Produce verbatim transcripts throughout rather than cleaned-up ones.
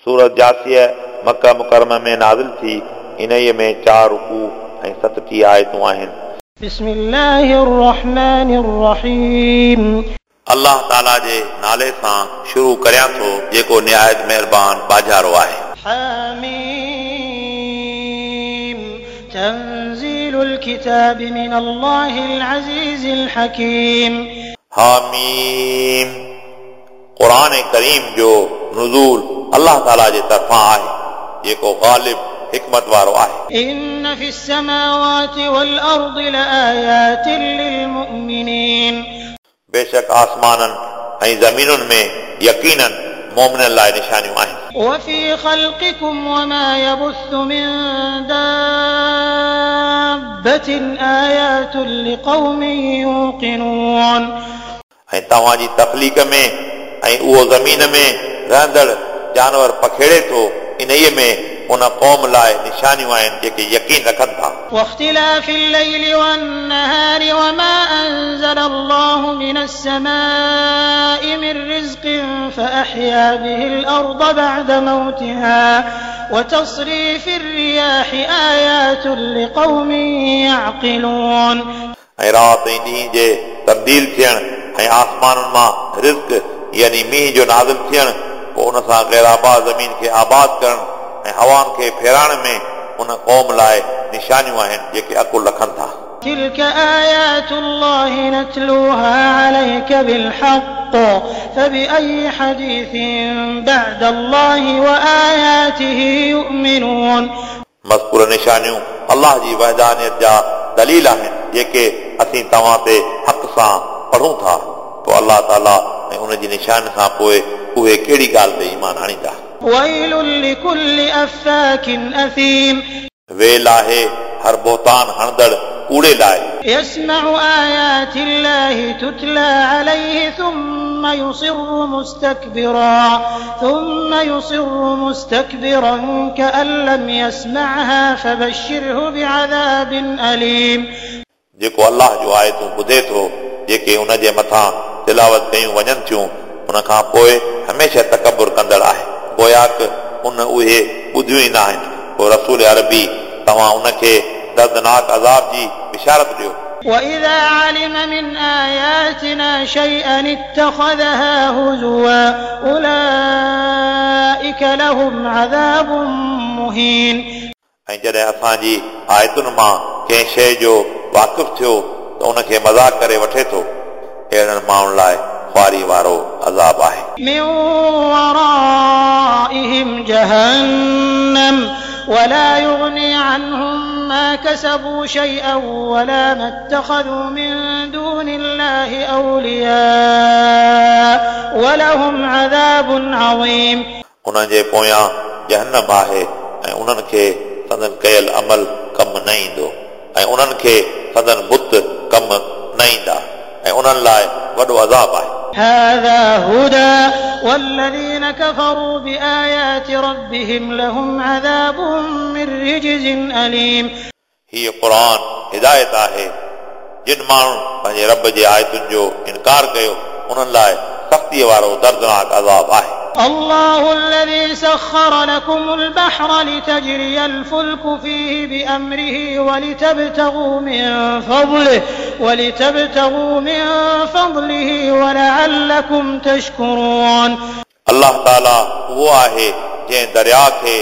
सूरत जासिया मक्का मुकरमा में नाज़िल थी। इन्हीअ में चार रुकू ऐं सतटीह आयतूं आहिनि। बिस्मिल्लाहिर रहमानिर रहीम। अल्लाह ताला जे नाले सां शुरू करियां थो जेको निहायत महिरबान बाजारो आहे। हामीम तंज़ीलुल किताब मिन अल्लाहिल अज़ीज़िल हकीम। हामीम क़ुरान करीम जो नुज़ूल अल्लाह ताला जे तरफ़ां आहे जेको ग़ालिब हिकमत वारो आहे। इन्न फ़िस समावाति वल अर्दि लआयातिन लिलमुमिनीन। बेशक आसमाननि ऐं ज़मीनुनि में यकीनन मोमिननि लाइ निशानियूं आहिनि। वफ़ी ख़ल्क़िकुम वमा यबुस्सु मिन दाब्बतिन आयातुन लिक़ौमिन यूक़िनून। ऐं तव्हांजी तख़लीक़ में ऐं उहो ज़मीन में रहंदड़ जानवर पखेड़े थो इन्हीअ में उन क़ौम लाइ निशानियूं आहिनि जेके यकीन रखनि था। वख्तिलाफ़िल लैलि वन्नहारि वमा अंज़ल अल्लाहु मिनस समाइ मिन रिज़्क़िन फ़अहया बिहिल अर्द बअद मौतिहा वतसरीफ़िर रियाहि आयातुन लिक़ौमिन यअक़िलून। ऐं राति ऐं ॾींहं जे तब्दील थियण ऐं आसमाननि मां रिज़्क़ यानी मींहुं जो नाज़िल थियण पोइ उन सां ग़ैराबाद ज़मीन खे आबाद करणु ऐं हवाउनि खे फेराइण में उन क़ौम लाइ निशानियूं आहिनि जेके अकुल रखनि था। तिल्क आयातुल्लाहि नतलूहा अलैक बिलहक़ फबिअय्यि हदीसिन बअदल्लाहि व आयातिहि युमिनून। मज़कूर निशानियूं अल्लाह जी वहदानियत जा दलील आहिनि जेके असीं तव्हां ते हक़ सां पढ़ूं था। पोइ अल्लाह ताला ऐं उन जी निशान खां पोइ उहे कहिड़ी ॻाल्हि ते ईमान आणींदा। वैलुल लिकुल्लि अफ़्फ़ाकिन असीम। वेल आहे हर बोहतान हणंदड़ कूड़े लाइ। यस्मउ आयातिल्लाहि तुतला अलैहि थुम्मा युसिर्रु मुस्तकबिरा थुम्मा युसिर्रु मुस्तकबिरन कअन लम यस्मअहा फबश्शिरहु बिअज़ाबिन अलीम। जेको अल्लाह जो आयतूं ॿुधे थो जेके उन जे मथां तिलावत कयूं वञनि थियूं उन खां पोइ हमेशह तकबुर कंदड़ आहे गोयाक उन उहे ॿुधियूं ई न आहिनि। पोइ रसूल अरबी तव्हां उनखे दर्दनाक अज़ाब जी बिशारत ॾियो। वइज़ा अलिम मिन आयातिना शैअन इत्तख़ज़हा हुज़ुवा उलाइक लहुम अज़ाबुम मुहीन। ऐं जॾहिं असांजी आयतुनि मां कंहिं शइ जो वाक़िफ़ थियो त उनखे मज़ाक करे वठे थो अहिड़नि माण्हुनि लाइ ख़्वारी वारो अज़ाब आहे। मिन वराइहिम जहन्नम वला युग़नी अन्हुम मा कसबू शैअन वला मा इत्तख़ज़ू मिन दूनिल्लाहि औलिया वलहुम अज़ाबुन अज़ीम। उन्हनि जे पोयां जहन्नम आहे ऐं उन्हनि खे संदन कयल अमल कमु न ईंदो ऐं उन्हनि खे संदन बुत कमु न ईंदा ऐं उन्हनि लाइ वॾो अज़ाब आहे। हाज़ा हुदा वल्लज़ीना कफ़रू बिआयाति रब्बिहिम लहुम अज़ाबुम मिन रिज्ज़िन अलीम। हीअ क़ुरान हिदायत आहे जिन माण्हुनि पंहिंजे रब जे आयतुनि जो इनकार कयो उन्हनि लाइ सख़्तीअ वारो दर्दनाक अज़ाब आहे। अल्लाहु अल्लज़ी सख़्ख़र लकुमुल बहर लितजरियल फुल्कु फ़ीहि बिअम्रिहि वलितबतगू मिन फ़ज़लिहि वलितबतगू मिन फ़ज़लिहि वलअल्लकुम तशकुरून। अल्लाह ताला उहो आहे जंहिं दरिया खे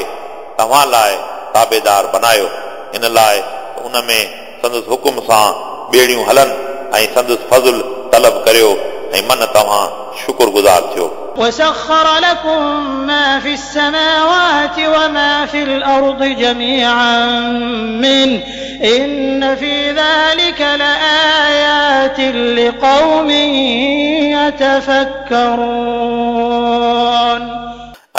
तव्हां लाइ ताबेदार बनायो इन लाइ त उन में संदसि हुकुम सां ॿेड़ियूं हलनि ऐं संदसि फज़ुल तलब करियो ऐं मन तव्हां शुक्रगुज़ार थियो। वसख़्ख़र लकुम मा फ़िस समावाति वमा फ़िल अर्दि जमीअन मिन इन्न फ़ी ज़ालिका लआयातिन लिक़ौमिन यतफ़क्करून।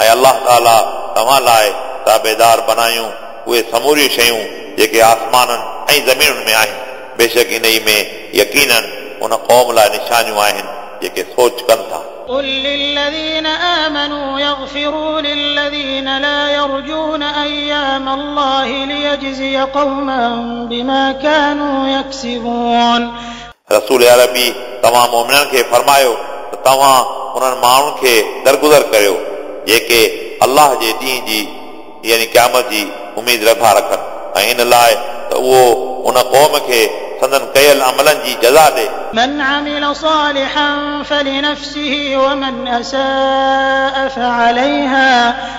ऐं अल्लाह ताला तव्हां लाइ ताबेदार बनायूं उहे समूरियूं शयूं जेके आसमाननि ऐं ज़मीनुनि में आहिनि। बेशक इन में यकीनन उन क़ौम लाइ निशानियूं आहिनि जेके सोच कनि था। قل للذين آمنوا يغفروا للذين لا يرجون أيام الله ليجزي قوما بما كانوا يكسبون। रसूल अरबी तव्हां मोमिननि खे फरमायो त तव्हां उन्हनि माण्हुनि खे दरगुज़र करियो जेके अल्लाह अल्लाह जे ॾींहुं जी यानी क़यामत जी उमेद नथा रखनि ऐं इन लाइ त उहो उन क़ौम खे संदन कयल अमलनि जी जज़ा ॾे। من عمل صالحا فلنفسه ومن أساء فعليها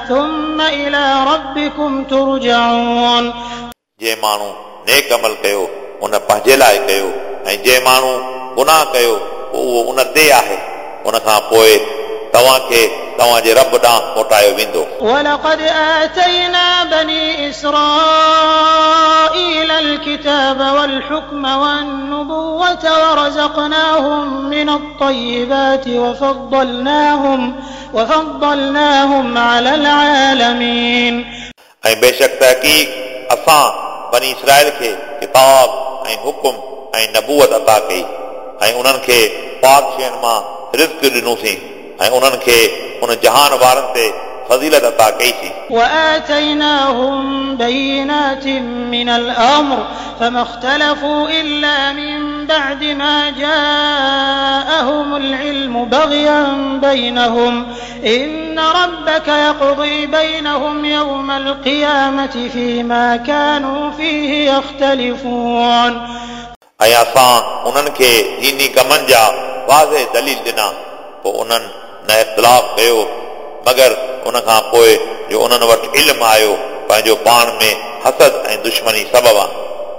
ثم إلى ربكم ترجعون। जंहिं माण्हू नेक अमल कयो उन पंहिंजे लाइ कयो ऐं जंहिं माण्हू गुनाह कयो उहो उन ते आहे, उन खां पोइ तव्हांखे तव्हांजे रब ॾांहुं मोटायो वेंदो। ولقد آتينا بني إسرائيل الكتاب والحكم والنبوة ورزقناهم من الطيبات وفضلناهم وفضلناهم على العالمين। ऐं बेशक तहक़ीक़ असां बनी इसराइल खे किताब ऐं हुकुम ऐं नबूअत अता कई ऐं उन्हनि खे पाक शयुनि मां रिज़्क ॾिनोसीं ऐं उन्हनि खे उन जहान वारनि ते फज़ीलत अता कईसीं। وآتيناهم بينات من الأمر فما اختلفوا إلا من بعد ما جاءهم العلم بغيا بينهم إن ربك يقضي بينهم يوم القيامة فيما كانوا فيه يختلفون। ऐं असां उन्हनि खे दीनी कमनि जा वाज़े दलील ॾिना, पोइ उन्हनि न इख़्तिलाफ़ कयो मगर उन खां पोइ जो उन्हनि वटि इल्मु आयो पंहिंजो पाण में हसद ऐं दुश्मनी सबबु आहे।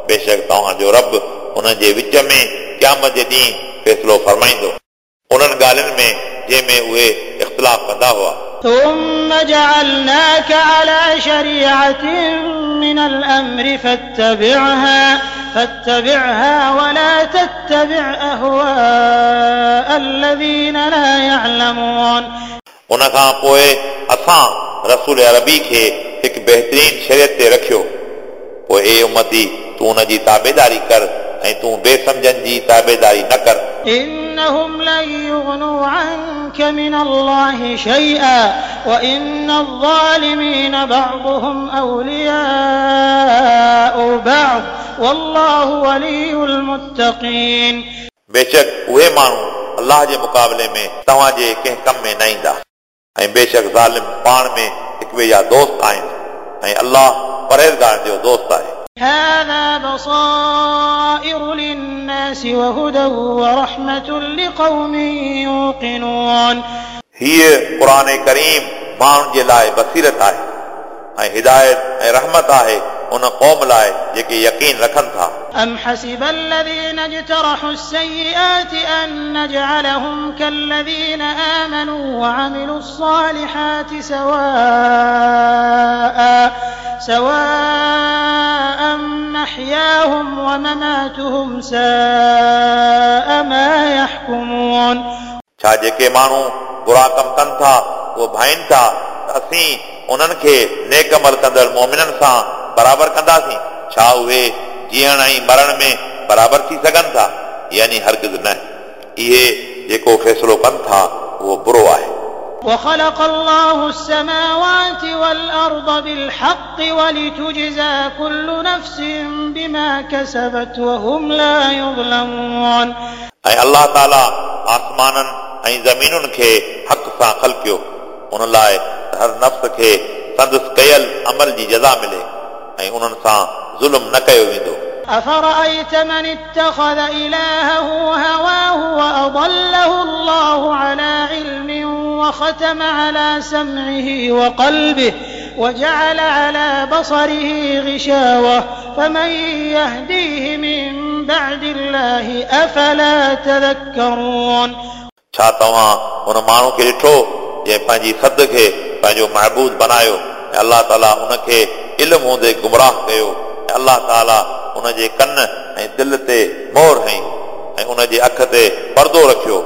बेशक तव्हांजो रब उन्हनि जे विच में क़यामत जे ॾींहुं फ़ैसिलो फरमाईंदो उन्हनि ॻाल्हियुनि में जंहिंमें उहे इख़्तिलाफ़ कंदा हुआ। ثم جعلناك على شريعة من الأمر فاتبعها فاتبعها ولا تتبع أهواء الذين لا يعلمون। उन खां पोइ असां रसूल अरबी खे हिकु बहितरीन शरीयत ते रखियो, पोइ ए उम्मती तूं उन जी ताबेदारी कर ऐं तूं बेसमझनि जी ताबेदारी न कर। إنهم لن يغنوا عنك من الله شيئا وإن الظالمين بعضهم أولياء بعض والله ولي المتقين। बेशक उहे माण्हू अल्लाह जे मुक़ाबले में तव्हांजे कंहिं कम में न ईंदा ऐं बेशक ज़ालिम पाण में हिक ॿिए जा दोस्त आहिनि ऐं अल्लाह परहेज़गारनि जो दोस्त आहे। هذا بصائر للناس وهدى ورحمة لقوم يوقنون। हीअ क़ुर करीम माण्हुनि जे लाइ बसीरत आहे ऐं हिदायत ऐं रहमत आहे उन क़ौम लाइ जेके यकीन रखनि था। أم حسب الذين اجترحوا السيئات أن نجعلهم كالذين آمنوا وعملوا الصالحات سواء سواء محياهم ومماتهم ساء ما يحكمون। छा जेके माण्हू बुरा कम कनि था उहे भाइनि था त असीं उन्हनि खे नेक अमल कंदड़ मोमिननि सां बराबरि कंदासीं? छा उहे जीअण ऐं मरण में बराबरि थी सघनि था? यानी हरगिज़ न। इहे जेको फ़ैसिलो कनि था उहो बुरो आहे। وخلق الله السماوات والأرض بالحق ولتجزى كل نفس بما كسبت وهم لا يظلمون। ऐं अल्लाह ताला आसमाननि ऐं ज़मीनुनि खे हक़ सां ख़लकियो उन लाइ हर नफ़्स खे संदसि कयल अमल जी जज़ा मिले ऐं उन्हनि सां ज़ुल्म न कयो वेंदो। أفرأيت من اتخذ إلهه هواه وأضله الله على علم وختم على سمعه وقلبه وجعل على بصره غشاوة فمن يهديه من بعد الله أفلا تذكرون। छा तव्हां उन माण्हू खे ॾिठो जंहिं पंहिंजी सद खे पंहिंजो महबूद बनायो ऐं अल्लाह ताला उनखे इल्मु हूंदे गुमराह कयो ऐं अल्लाह ताला उन जे कन ऐं दिलि ते मोहर हई ऐं उन जे अख ते पर्दो रखियो,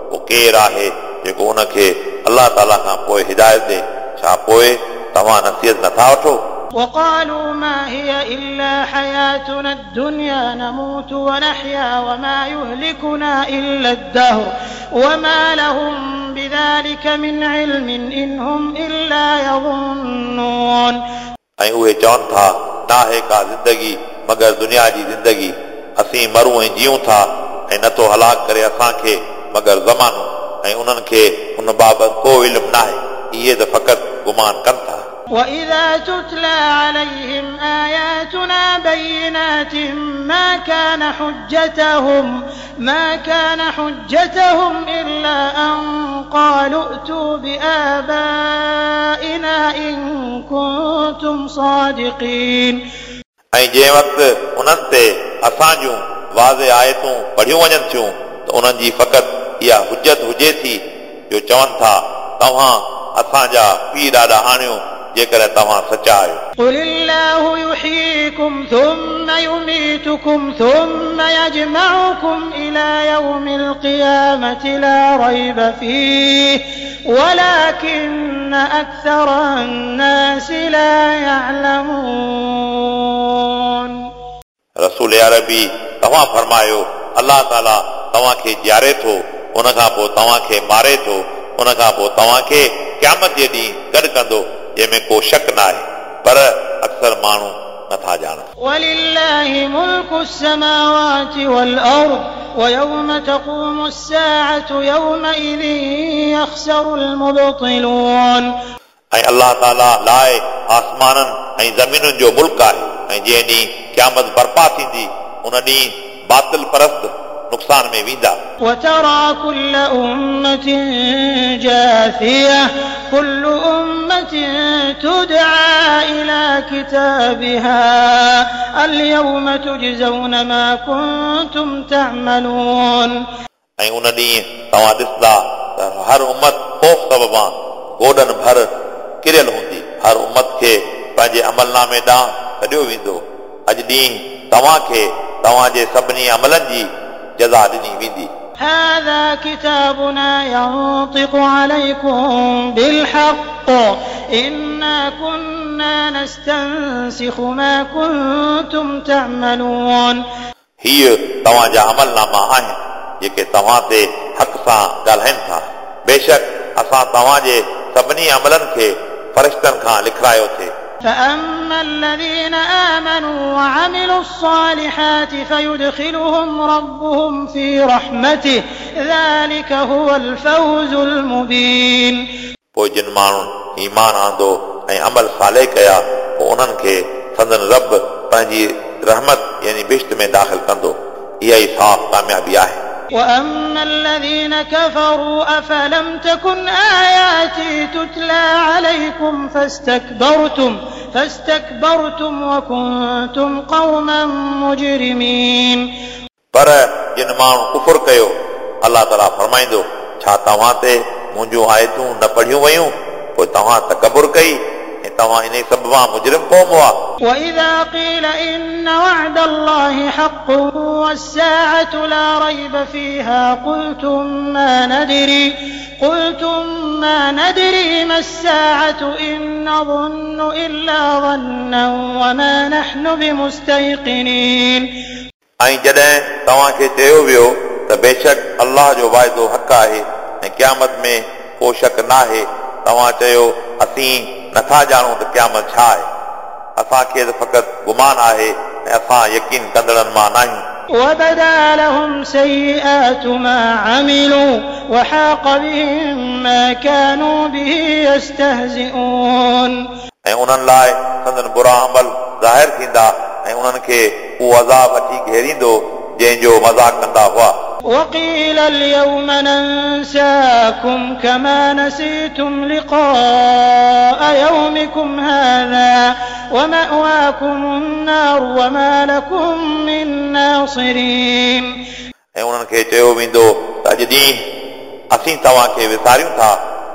पोइ केरु आहे जेको उनखे अल्लाह ताला खां पोइ हिदायत ॾे? छा पोइ तव्हां नसीहत नथा वठो? وقالوا ما هي إلا حياتنا الدنيا نموت ونحيا وما يهلكنا إلا الدهر وما لهم بذلك من علم إن هم إلا يظنون. ऐं उहे चवनि था नाहे का ज़िंदगी मगर दुनिया जी ज़िंदगी, असीं मरूं ऐं जीऊं था ऐं नथो हलाक करे असांखे मगर ज़मानो, ऐं उन्हनि खे उन बाबति को इल्मु नाहे, इहे त फ़क़ति गुमान कनि था। وإذا تتلى عليهم آياتنا بينات ما كان حجتهم ما كان حجتهم إلا أن قالوا ائتوا بآبائنا إن كنتم صادقين। ऐं जंहिं वक़्तु उन्हनि ते असां जूं वाज़े आयतूं पढ़ियूं वञनि थियूं त उन्हनि जी फ़क़ति इहा हुजत हुजे थी जो चवनि था तव्हां असांजा पीउ ॾाॾा आणियो जेकॾहिं तव्हां सचा आहियो। قل الله يحييكم ثم يميتكم ثم يجمعكم إلى يوم القيامة لا ريب فيه ولكن أكثر الناس لا يعلمون। रसूल अरबी तव्हां फरमायो अलाह ताला तव्हांखे जीआरे थो, उन खां पोइ तव्हांखे मारे थो, उन खां पोइ तव्हांखे क़यामत जे ॾींहुं गॾु कंदो जंहिंमें को शक न आहे, पर अक्सर माण्हू नथा ॼाणनि। ولله ملك السماوات والأرض ويوم تقوم الساعة يومئذ يخسر المبطلون। ऐं अलाह ताला लाइ आसमाननि ऐं ज़मीनुनि जो मुल्क आहे, ऐं जंहिं ॾींहुं क़यामत बर्पा थींदी उन ॾींहुं बातिल परस्त नुक़सान में वेंदा। وترى كل أمة جاثية كل أمة تدعى إلى كتابها اليوم تجزون ما كنتم تعملون। ऐं उन ॾींहुं तव्हां ॾिसंदा त हर उमत ख़ौफ़ सबबां गोॾनि भर किरियल हूंदी। हर उमत खे पंहिंजे अमलनामे ॾांहुं सॾियो वेंदो। अॼु ॾींहुं तव्हांखे तव्हांजे सभिनी अमलनि जी जज़ा ॾिनी वेंदी। هذا كتابنا ينطق عليكم بالحق إنا كنا نستنسخ ما كنتم تعملون। हीअ तव्हांजा अमलनामा आहिनि जेके तव्हां ते हक़ सां ॻाल्हाइनि था। बेशक असां तव्हांजे सभिनी अमलनि खे फ़रिश्तनि खां लिखारायो थे। فأما الذين آمنوا وعملوا الصالحات فيدخلهم ربهم في رحمته ذلك هو الفوز المبين। पोइ जिन माण्हुनि ईमान आंदो ऐं अमल साले कया पोइ उन्हनि खे संदन रब पंहिंजी रहमत यानी बिश्त में दाख़िल कंदो। इहा ई साफ़ कामयाबी आहे। وأما الذين كفروا أفلم تكن آياتي تتلى عليكم فاستكبرتم فاستكبرتم وكنتم قوما مجرمين। पर जिन माण्हू कुफुर कयो अलाह ताला फरमाईंदो छा तव्हां ते मुंहिंजूं आयतूं न पढ़ियूं वयूं? पोइ तव्हां तकबुर कई ऐं तव्हां इन सबबां मुजरिम क़ौम हुआ। وإذا قيل إن وعد الله حق والساعة لا ريب فيها قلتم ما ندري قلتم ما ندري ما الساعة إن نظن إلا ظنا وما نحن بمستيقنين। ऐं जॾहिं तव्हांखे चयो वियो त बेशक अलाह जो वाइदो हक़ आहे ऐं क़यामत में को शक नाहे, तव्हां चयो असीं नथा ॼाणूं त क़यामत छा आहे, असांखे त फ़क़ति गुमान आहे ऐं असां यकीन कंदड़नि मां नाहियूं। وبدا لهم سيئات ما عملوا وحاق بهم ما كانوا به يستهزئون। ऐं उन्हनि लाइ संदन बुरा अमल ज़ाहिर थींदा ऐं उन्हनि खे उहो अज़ाब अची घेरींदो जंहिंजो मज़ाक कंदा हुआ। وقيل اليوم ننساكم كما نسيتم لقاء يومكم هذا ومأواكم النار وما لكم من ناصرين। ऐं उन्हनि खे चयो वेंदो त अॼु ॾींहुं असीं तव्हांखे विसारियूं था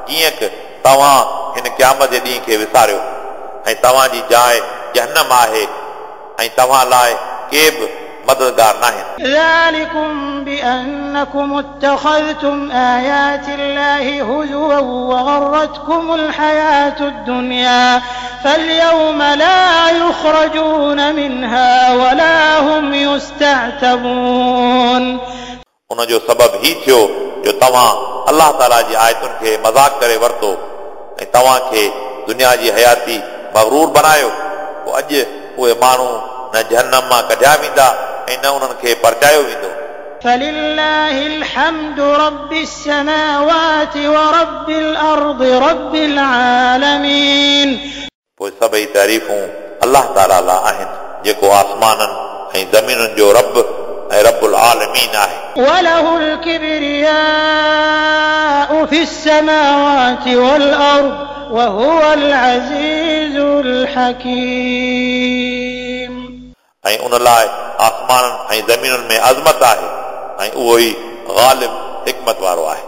जीअं की तव्हां हिन क़यामत जे ॾींहं खे विसारियो, ऐं तव्हांजी जाइ जहन्नम आहे ऐं तव्हां लाइ के बि मददगार नाहिनि। ذلكم بأنكم اتخذتم آيات الله هزوا وغرتكم الحياة الدنيا فاليوم لا يخرجون منها ولا هم يستعتبون। उन जो सबब ही थियो जो तव्हां अलाह ताला जी आयतुनि खे मज़ाक करे वरितो ऐं तव्हांखे दुनिया जी हयाती मग़रूर बनायो। पोइ अॼु उहे माण्हू न जहन्नम मां कढिया वेंदा ऐं न उन्हनि खे परचायो वेंदो। فلله الحمد رب السماوات ورب الأرض رب العالمين. पोइ सभई तारीफ़ूं अलाह ताला लाइ आहिनि जेको आसमाननि ऐं ज़मीनुनि जो रब ऐं रबुल आलमीन आहे। وله الكبرياء في السماوات والأرض وهو العزيز الحكيم. ऐं उन लाइ आसमाननि ऐं ज़मीनुनि में अज़मत आहे ऐं उहो ई ग़ालिब हिकमत वारो आहे।